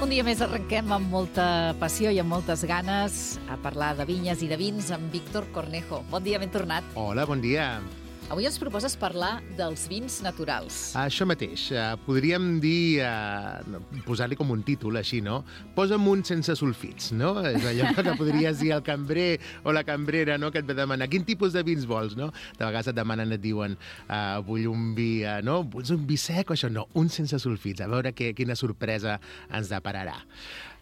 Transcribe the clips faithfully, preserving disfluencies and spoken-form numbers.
Un dia més arrenquem amb molta passió i amb moltes ganes a parlar de vinyes i de vins amb Víctor Cornejo. Bon dia, ben tornat. Hola, bon dia. Avui ens proposes parlar dels vins naturals. Això mateix. Uh, podríem dir, uh, posar-li com un títol, així, no? Posa'm un sense sulfits, no? És allò que podries dir al cambrer o la cambrera, no?, que et ve demanar quin tipus de vins vols, no? De vegades et demanen, et diuen, uh, vull un vi, uh, no? Vols un vi sec o això? No, un sense sulfits. A veure que, quina sorpresa ens depararà.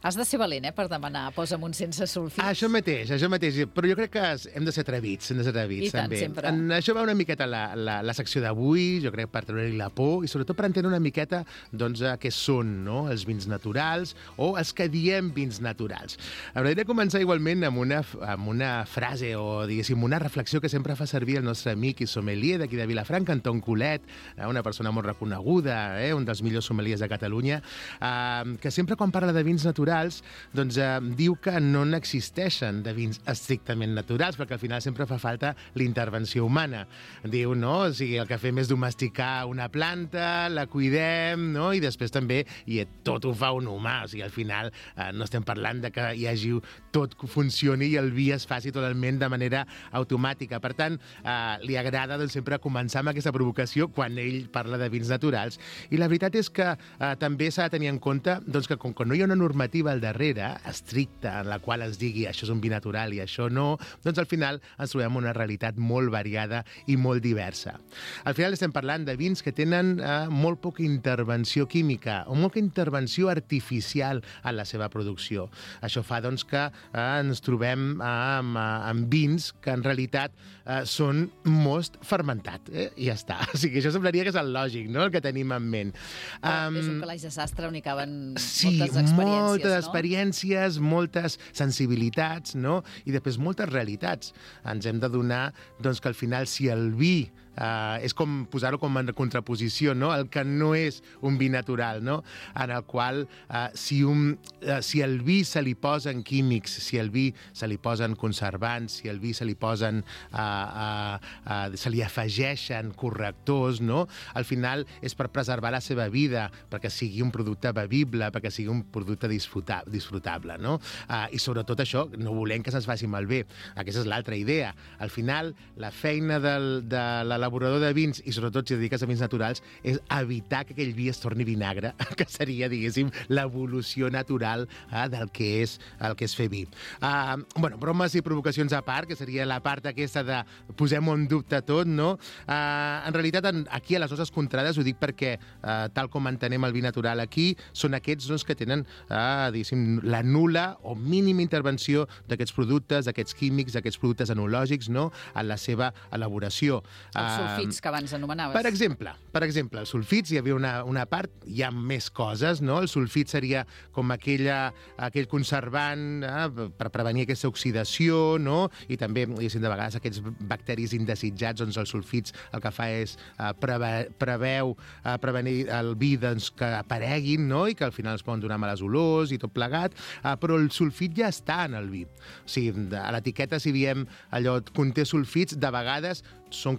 Has de ser valent, eh, per demanar posa'm un sense sulfits. Això mateix, això mateix. Però jo crec que hem de ser atrevits, hem de ser atrevits, I tant, també. sempre. En això va una miqueta la, la, la secció d'avui, jo crec, per treure-li la por i sobretot per entendre una miqueta, doncs, què són, no?, els vins naturals o els que diem vins naturals. M'agradaria començar igualment amb una, amb una frase o, diguéssim, una reflexió que sempre fa servir el nostre amic i sommelier d'aquí de Vilafranca, Anton Colet, una persona molt reconeguda, eh, un dels millors sommeliers de Catalunya, eh, que sempre quan parla de vins naturals doncs eh, diu que no n'existeixen de vins estrictament naturals, perquè al final sempre fa falta l'intervenció humana. Diu, no? O sigui, el que fem és domesticar una planta, la cuidem, no? I després també i tot ho fa un humà. O sigui, al final eh, no estem parlant de que hi hagi tot que funcioni i el vi es faci totalment de manera automàtica. Per tant, eh, li agrada doncs, sempre començar amb aquesta provocació quan ell parla de vins naturals. I la veritat és que eh, també s'ha de tenir en compte doncs, que com que no hi ha una normativa al darrere, estricta, en la qual es digui això és un vi natural i això no, doncs al final ens trobem una realitat molt variada i molt diversa. Al final estem parlant de vins que tenen eh, molt poca intervenció química o molta intervenció artificial en la seva producció. Això fa doncs, que eh, ens trobem eh, amb, amb vins que en realitat eh, són most fermentat. Eh? I ja està. O sigui, això semblaria que és el lògic, no?, el que tenim en ment. Um, és un calaix de sastre on hi caben sí, moltes experiències, moltes no? experiències, moltes sensibilitats, no? I després moltes realitats. Ens hem de donar doncs, que al final si el vi Uh, és com posar-ho com en contraposició, no?, el que no és un vi natural, no?, en el qual uh, si, un, uh, si el vi se li posen químics, si el vi se li posen conservants, si el vi se li posen uh, uh, uh, se li afegeixen correctors, no?, al final és per preservar la seva vida, perquè sigui un producte bevible, perquè sigui un producte disfruta disfrutable, no? Uh, I sobretot això, no volem que se'ns faci malbé. Aquesta és l'altra idea. Al final, la feina del, de la elaborador de vins, i sobretot si et dediques a vins naturals, és evitar que aquell vi es torni vinagre, que seria, diguéssim, l'evolució natural eh, del que és el que és fer vi. Uh, bueno, bromes i provocacions a part, que seria la part aquesta de posem en dubte tot, no? Uh, en realitat, en, aquí a les nostres contrades, ho dic perquè, uh, tal com entenem el vi natural aquí, són aquests doncs, que tenen, uh, diguéssim, la nul·la o mínima intervenció d'aquests productes, d'aquests químics, d'aquests productes enològics, no?, en la seva elaboració. Els sulfits que abans anomenaves. Per exemple, per exemple, els sulfits, hi havia una, una part, hi ha més coses, no? El sulfit seria com aquella, aquell conservant eh, per prevenir aquesta oxidació, no? I també, diguéssim, de vegades aquests bacteris indesitjats, doncs els sulfits el que fa és eh, preve, preveu eh, prevenir el vi doncs, que apareguin, no?, i que al final es poden donar males olors i tot plegat, eh, però el sulfit ja està en el vi. O sigui, a l'etiqueta, si diem allò conté sulfits, de vegades són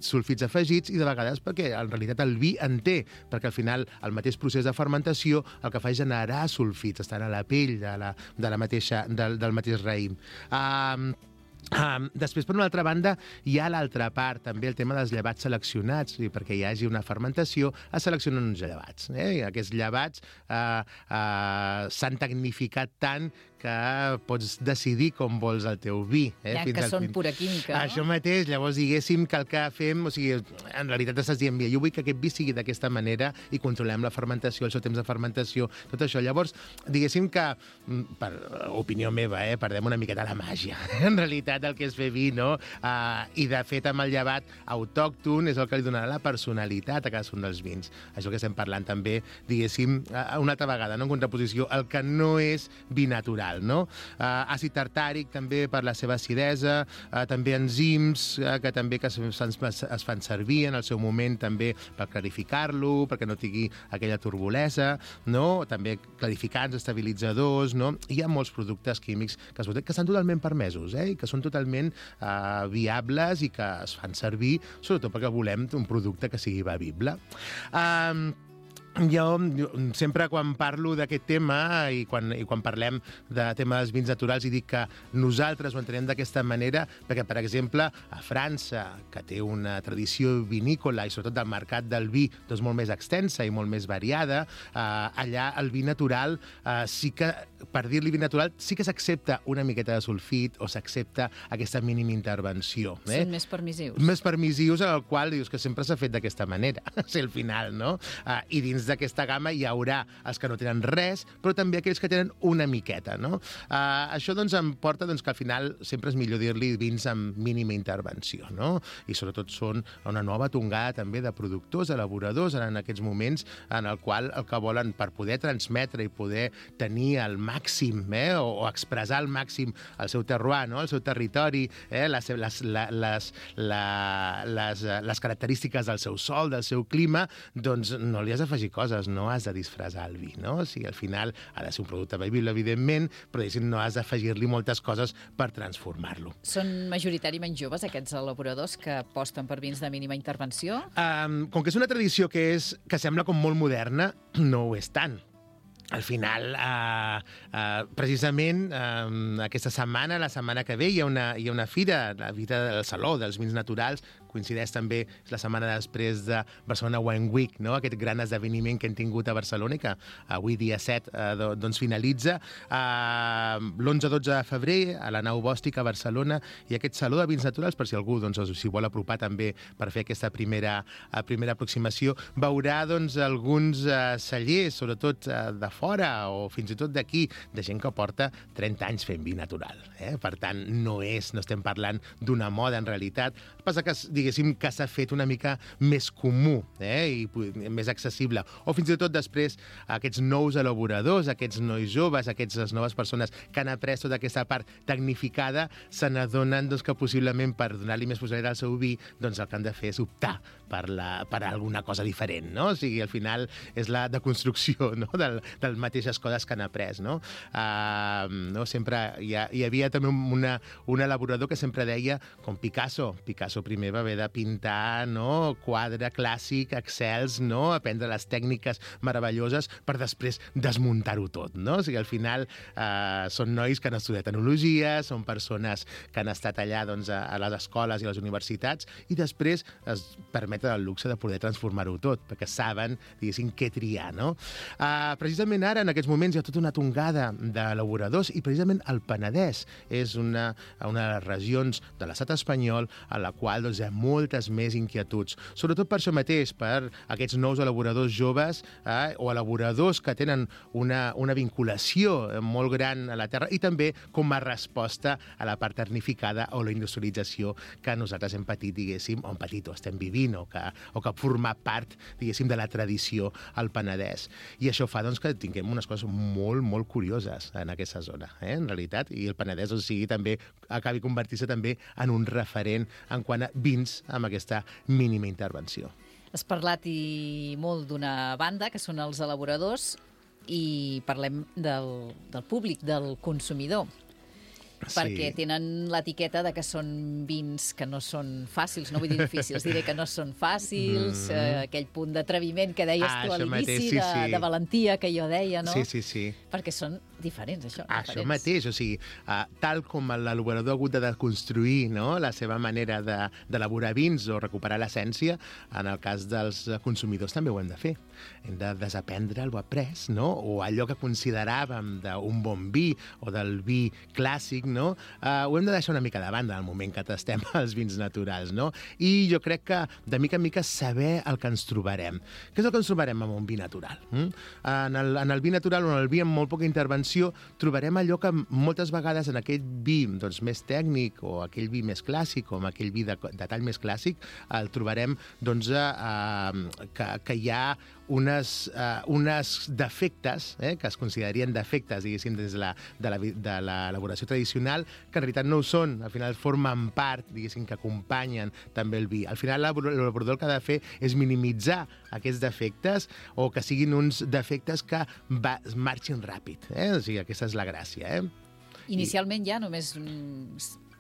sulfits afegits i de vegades perquè en realitat el vi en té, perquè al final el mateix procés de fermentació el que fa és generar sulfits, estan a la pell de la, de la mateixa, del, del mateix raïm. Um, Um, després, per una altra banda, hi ha l'altra part, també el tema dels llevats seleccionats, i perquè hi hagi una fermentació, es seleccionen uns llevats. Eh? I aquests llevats uh, uh, s'han tecnificat tant que pots decidir com vols el teu vi. Eh? Ja, Fins que al són fin... pura química, no? Això mateix, llavors diguéssim que el que fem, o sigui, en realitat estàs dient, jo vull que aquest vi sigui d'aquesta manera i controlem la fermentació, el seu temps de fermentació, tot això. Llavors, diguéssim que, per opinió meva, eh, perdem una miqueta la màgia, en realitat, del que és fer vi, no? Uh, I, de fet, amb el llevat autòcton és el que li donarà la personalitat a cadascun dels vins. Això que estem parlant també, diguéssim, uh, una altra vegada, no?, en contraposició, el que no és vi natural, no? Uh, àcid tartàric, també, per la seva acidesa, uh, també enzims, uh, que també que es, es, es fan servir en el seu moment, també, per clarificar-lo, perquè no tingui aquella turbolesa, no? També clarificants, estabilitzadors, no? Hi ha molts productes químics que, que estan totalment permesos, eh? I que són totalment uh, viables i que es fan servir, sobretot perquè volem un producte que sigui bevible. Um, Jo, jo sempre quan parlo d'aquest tema i quan, i quan parlem de tema dels vins naturals i dic que nosaltres ho entenem d'aquesta manera perquè, per exemple, a França, que té una tradició vinícola i sobretot del mercat del vi doncs, molt més extensa i molt més variada, eh, allà el vi natural eh, sí que, per dir-li vi natural, sí que s'accepta una miqueta de sulfit o s'accepta aquesta mínima intervenció. Eh? Són més permissius. Més permissius, al qual dius que sempre s'ha fet d'aquesta manera, si al final, no? Eh, I dins d'aquesta gamma hi haurà els que no tenen res, però també aquells que tenen una miqueta, no? Uh, això doncs em porta doncs, que al final sempre és millor dir-li vins amb mínima intervenció, no? I sobretot són una nova tongada també de productors, elaboradors en aquests moments en el qual el que volen per poder transmetre i poder tenir al màxim, eh, o, o expressar al màxim el seu terroir, no? El seu territori, eh, les, les, les, la, les, les característiques del seu sol, del seu clima, doncs no li has d'afegir coses, no has de disfressar el vi, no? O sigui, al final ha de ser un producte bevible, evidentment, però no has d'afegir-li moltes coses per transformar-lo. Són majoritàriament joves, aquests elaboradors que aposten per vins de mínima intervenció? Um, com que és una tradició que, és, que sembla com molt moderna, no ho és tant. Al final, eh, eh, precisament, eh, aquesta setmana, la setmana que ve, hi ha una, hi ha una fira, la fira del Saló dels Vins Naturals, coincideix també la setmana després de Barcelona Wine Week, no? Aquest gran esdeveniment que hem tingut a Barcelona i que avui, dia set, eh, doncs finalitza. Eh, l'onze dotze de febrer, a la Nau Bòstica a Barcelona, i aquest Saló de Vins Naturals, per si algú doncs, s'hi vol apropar també per fer aquesta primera, eh, primera aproximació, veurà doncs, alguns eh, cellers, sobretot eh, de fora o fins i tot d'aquí, de gent que porta trenta anys fent vi natural. Eh? Per tant, no és, no estem parlant d'una moda en realitat. El que passa que, diguéssim, que s'ha fet una mica més comú, eh? I més accessible. O fins i tot després aquests nous elaboradors, aquests nois joves, aquestes noves persones que han après tota aquesta part tecnificada, se n'adonen doncs, que possiblement per donar-li més possibilitat al seu vi, doncs el que han de fer és optar per, la, per alguna cosa diferent, no? O sigui, al final és la deconstrucció, no? del, del mateixes coses que han après, no? Uh, no? Sempre hi, ha, hi havia també una, un elaborador que sempre deia, com Picasso, Picasso primer va haver de pintar, no? Quadre clàssic, excels, no? Aprendre les tècniques meravelloses per després desmuntar-ho tot, no? O sigui, al final uh, són nois que han estudiat enologia, són persones que han estat allà doncs, a, a les escoles i a les universitats i després es permeten el luxe de poder transformar-ho tot, perquè saben, diguéssim, què triar, no? Uh, precisament ara, en aquests moments, hi ha tota una tongada d'elaboradors i precisament el Penedès és una, una de les regions de l'estat espanyol a la qual doncs, hi ha moltes més inquietuds. Sobretot per això mateix, per aquests nous elaboradors joves eh, o elaboradors que tenen una, una vinculació molt gran a la terra i també com a resposta a la part ternificada o la industrialització que nosaltres hem patit, diguéssim, o hem patit o estem vivint o que, o que forma part, diguéssim, de la tradició al Penedès. I això fa doncs, que tinguem unes coses molt, molt curioses en aquesta zona, eh, en realitat, i el Penedès, o sigui, també acabi convertir-se també en un referent en quant a vins amb aquesta mínima intervenció. Has parlat i molt d'una banda, que són els elaboradors, i parlem del, del públic, del consumidor. Sí. Perquè tenen l'etiqueta de que són vins que no són fàcils, no vull dir difícils, diré que no són fàcils, mm. eh, aquell punt d'atreviment que deies ah, tu a l'inici, sí, de, sí. de valentia que jo deia, no? Sí, sí, sí. Perquè són diferents, això. Ah, diferents. Això mateix, o sigui, uh, tal com l'elaborador ha hagut de construir, no?, la seva manera d'elaborar de, vins o recuperar l'essència, en el cas dels consumidors també ho hem de fer. Hem de desaprendre el après, no?, o allò que consideràvem d'un bon vi o del vi clàssic, no? Uh, ho hem de deixar una mica de banda en el moment que tastem els vins naturals, no? I jo crec que de mica en mica saber el que ens trobarem. Què és el que ens trobarem amb un vi natural? Mm? En, el, en el vi natural o en el vi amb molt poca intervenció trobarem allò que moltes vegades en aquell vi doncs, més tècnic o aquell vi més clàssic o amb aquell vi de, de tall més clàssic el trobarem doncs, uh, que, que hi ha unes, uh, unes defectes, eh, que es considerarien defectes, diguéssim, des de l'elaboració tradicional, que en realitat no ho són. Al final formen part, diguéssim, que acompanyen també el vi. Al final l'elaborador el que ha de fer és minimitzar aquests defectes o que siguin uns defectes que va, marxin ràpid. Eh? O sigui, aquesta és la gràcia. Eh? Inicialment I... ja només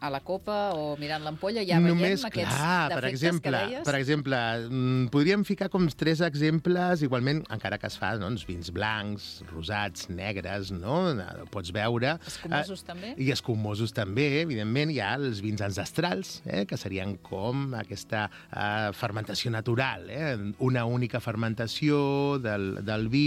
a la copa o mirant l'ampolla ja veiem Només, aquests clar, per defectes exemple, que deies? per exemple, podríem ficar com tres exemples, igualment, encara que es fa, doncs, vins blancs, rosats, negres, no? Pots veure... Escumosos eh, també? I escumosos també, evidentment. Hi ha els vins ancestrals, eh, que serien com aquesta eh, fermentació natural, eh? Una única fermentació del, del vi.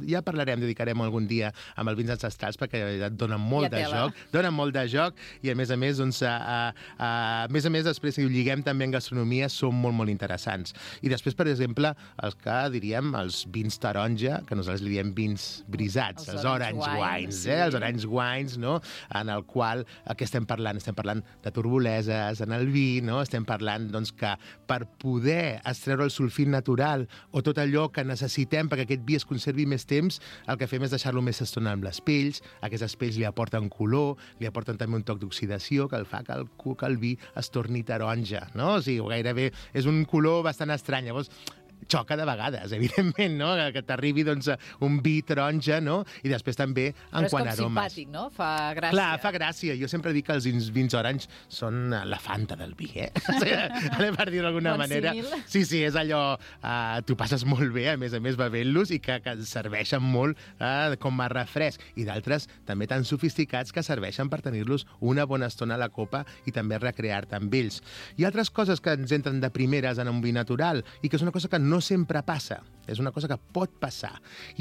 Ja parlarem, dedicarem algun dia amb els vins ancestrals perquè et donen molt de joc, donen molt de joc i, a més a més, doncs, a, a, a, a més a més, després, si ho lliguem també en gastronomia, són molt, molt interessants. I després, per exemple, els que diríem els vins taronja, que nosaltres li diem vins brisats, els, els orange, orange wines, wines sí. eh? Els orange wines, no? En el qual, què estem parlant? Estem parlant de turbuleses en el vi, no? Estem parlant, doncs, que per poder extreure el sulfit natural o tot allò que necessitem perquè aquest vi es conservi més temps, el que fem és deixar-lo més estona amb les pells, aquestes pells li aporten color, li aporten també un toc d'oxidació que el fa que el, que el vi es torni taronja, no? O sigui, gairebé és un color bastant estrany. Llavors, xoca de vegades, evidentment, no? Que t'arribi, doncs, un vi taronja, no? I després també en quant a aromes. Però és com simpàtic, no? Fa gràcia. Clar, fa gràcia. Jo sempre dic que els vins, vins orange són la Fanta del vi, eh? Per dir-ho d'alguna bon manera. Símil. Sí, sí, és allò... Uh, tu passes molt bé, a més a més, bevent-los i que, que serveixen molt uh, com a refresc. I d'altres també tan sofisticats que serveixen per tenir-los una bona estona a la copa i també recrear-te amb ells. Hi ha altres coses que ens entren de primeres en un vi natural i que és una cosa que no sempre passa, és una cosa que pot passar,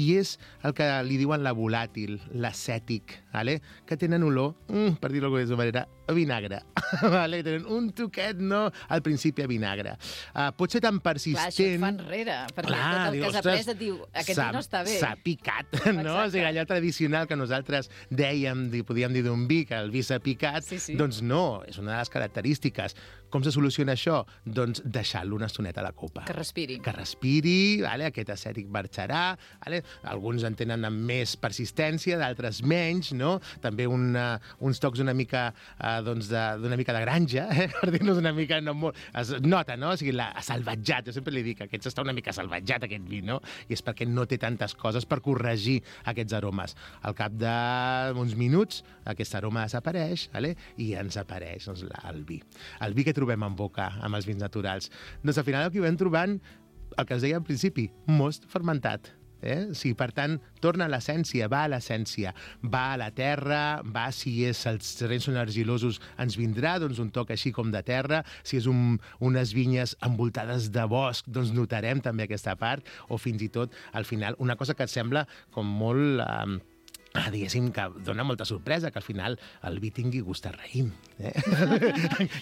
i és el que li diuen la volàtil, l'acètic, ¿vale? Que tenen olor, mm, per dir-ho d'alguna manera, a vinagre. ¿Vale? Tenen un toquet, no? Al principi a vinagre. Uh, pot ser tan persistent... Clar, això et fa enrere, perquè clar, tot el que has après et diu aquest vi no està bé. S'ha picat, no? O sigui, allò tradicional que nosaltres dèiem, podíem dir d'un vi, que el vi s'ha picat, sí, sí. Doncs no, és una de les característiques. Com se soluciona això? Doncs deixar-lo una estoneta a la copa. Que respiri. Que respiri, vale? Aquest acètic marxarà, vale? Alguns en tenen amb més persistència, d'altres menys, no? També una, uns tocs una mica, eh, doncs d'una mica de granja, eh? Per dir-nos una mica, no molt... Es nota, no? O sigui, la salvatjat, jo sempre li dic que aquest està una mica salvatjat, aquest vi, no? I és perquè no té tantes coses per corregir aquests aromes. Al cap d'uns minuts, aquest aroma desapareix, vale? I ens apareix, doncs, el vi. El vi que trobem en boca amb els vins naturals. Doncs al final el que vam trobant, el que es deia al principi, most fermentat. Eh? Sí, per tant, torna a l'essència, va a l'essència, va a la terra, va, si és, els terrenys són argilosos, ens vindrà doncs, un toc així com de terra, si és un, unes vinyes envoltades de bosc, doncs notarem també aquesta part, o fins i tot, al final, una cosa que et sembla com molt... Eh, Ah, diguéssim que dona molta sorpresa que al final el vi tingui gust a raïm. Eh?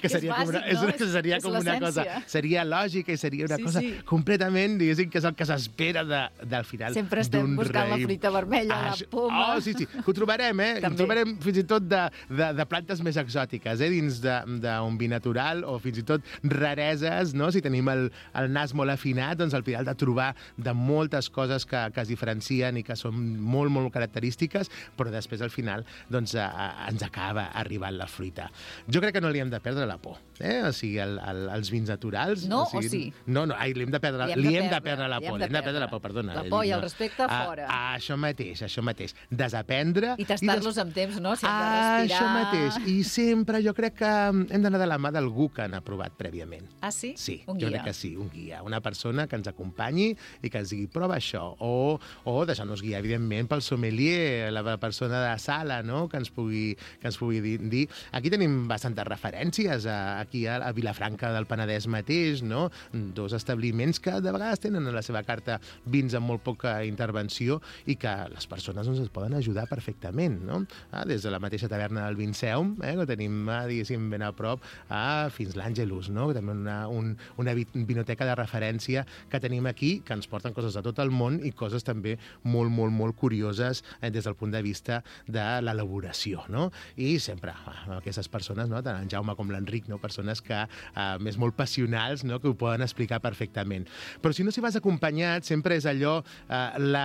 que seria és bàsic, com una, no? És, seria és com una cosa... Seria lògica i seria una sí, cosa sí. completament, diguéssim, que és el que s'espera de, del final d'un raïm. Sempre estem buscant raïm. La fruita vermella, ah, la poma... Oh, sí, sí, que ho trobarem, eh? També. Ho trobarem fins i tot de, de, de plantes més exòtiques, eh? Dins d'un vi natural, o fins i tot rareses, no? Si tenim el, el nas molt afinat, doncs al final de trobar de moltes coses que, que es diferencien i que són molt, molt característiques, però després al final doncs, a, a, ens acaba arribant la fruita. Jo crec que no li hem de perdre la por, eh? O sigui, el, el, els vins naturals... No, o, sigui, o sí? No, no, ai, li hem de perdre, li hem de, li hem de perdre la por, li hem de perdre la por, perdona. La por i el respecte a, fora. A, a això mateix, això mateix. Desaprendre... I tastar-los des... amb temps, no? Si hem de respirar... Això mateix. I sempre jo crec que hem d'anar de la mà d'algú que han aprovat prèviament. Ah, sí? Sí, un jo guia. crec que sí, un guia. Una persona que ens acompanyi i que ens digui, prova això. O, o deixar-nos guiar, evidentment, pel sommelier, la persona de sala, no? Que ens pugui, que ens pugui dir. Aquí tenim bastantes referències, a, aquí a, a Vilafranca del Penedès mateix, no? Dos establiments que de vegades tenen a la seva carta vins amb molt poca intervenció i que les persones doncs, es poden ajudar perfectament, no? Ah, des de la mateixa taverna del Vinceum, eh, que tenim, diguéssim, ben a prop, a, fins l'Àngelus, no? També una, un, una vinoteca de referència que tenim aquí, que ens porten coses de tot el món i coses també molt, molt, molt curioses eh, des del punt de vista de l'elaboració, no? I sempre ah, aquestes persones, no? Tant en Jaume com l'Enric, no? Persones que, ah, més molt passionals, no? Que ho poden explicar perfectament. Però si no s'hi vas acompanyat, sempre és allò, ah, la...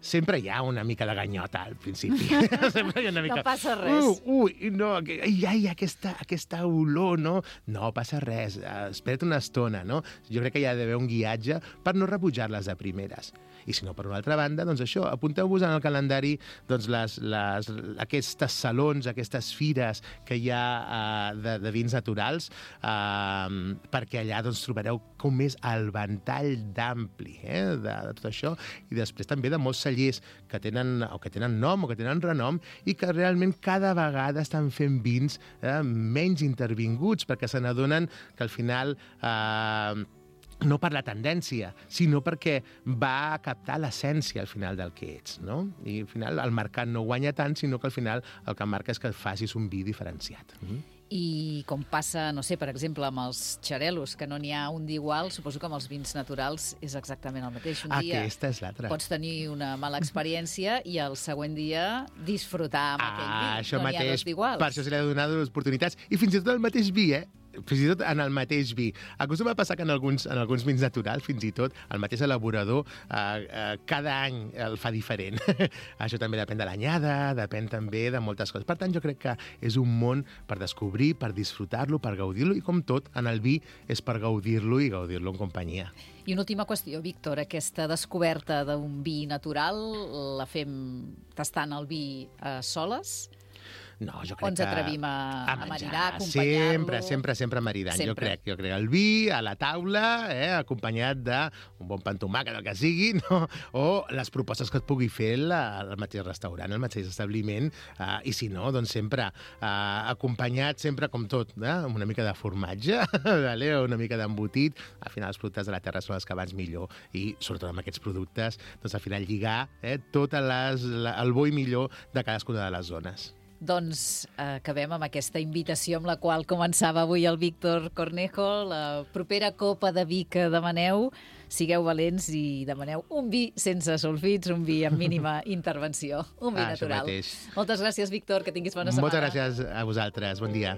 sempre hi ha una mica de ganyota al principi. Sempre hi ha una mica... No passa res. Uh, ui, no, ai, ai, aquesta, aquesta olor, no? No passa res, espera't una estona, no? Jo crec que hi ha d'haver un guiatge per no rebutjar-les de primeres. I si no, per una altra banda, doncs això, apunteu-vos en el calendari doncs les, les, aquestes salons, aquestes fires que hi ha uh, de, de vins naturals, uh, perquè allà doncs, trobareu com és el ventall d'ampli eh, de, de tot això, i després també de molts cellers que tenen, o que tenen nom o que tenen renom i que realment cada vegada estan fent vins eh, menys intervinguts, perquè se n'adonen que al final eh, no per la tendència, sinó perquè va captar l'essència al final del que ets, no? I al final el mercat no guanya tant, sinó que al final el que marca és que facis un vi diferenciat. Mm-hmm. I com passa, no sé, per exemple, amb els xarelos, que no n'hi ha un d'igual, suposo que amb els vins naturals és exactament el mateix. Un dia Aquesta és l'altra. Pots tenir una mala experiència i el següent dia disfrutar amb ah, aquell vi. Això no mateix, n'hi ha dos d'iguals. Per això se li ha donat les oportunitats. I fins i tot el mateix vi, eh? Fins i tot en el mateix vi. Acostuma a passar que en alguns, en alguns vins naturals, fins i tot, el mateix elaborador eh, eh, cada any el fa diferent. Això també depèn de l'anyada, depèn també de moltes coses. Per tant, jo crec que és un món per descobrir, per disfrutar-lo, per gaudir-lo, i com tot, en el vi és per gaudir-lo i gaudir-lo en companyia. I una última qüestió, Víctor, aquesta descoberta d'un vi natural la fem tastant el vi a soles? No, jo crec o ens atrevim a, a, a maridar, a acompanyar-lo? Sempre, acompanyar-lo? sempre, sempre maridant. Sempre. Jo crec, jo crec. El vi a la taula, eh, acompanyat d'un bon pa amb tomàquet, el que sigui, no? O les propostes que et pugui fer la, el mateix restaurant, el mateix establiment, eh, i si no, doncs sempre eh, acompanyat, sempre com tot, eh, amb una mica de formatge, vale? O una mica d'embotit. Al final els productes de la terra són els que abans millor, i sobretot amb aquests productes, doncs al final lligar eh, tot les, la, el bo i millor de cadascuna de les zones. Doncs eh, acabem amb aquesta invitació amb la qual començava avui el Víctor Cornejo. La propera copa de vi que demaneu, sigueu valents i demaneu un vi sense sulfits, un vi amb mínima intervenció, un vi ah, natural. Moltes gràcies, Víctor, que tinguis bona setmana. Moltes gràcies a vosaltres, bon dia.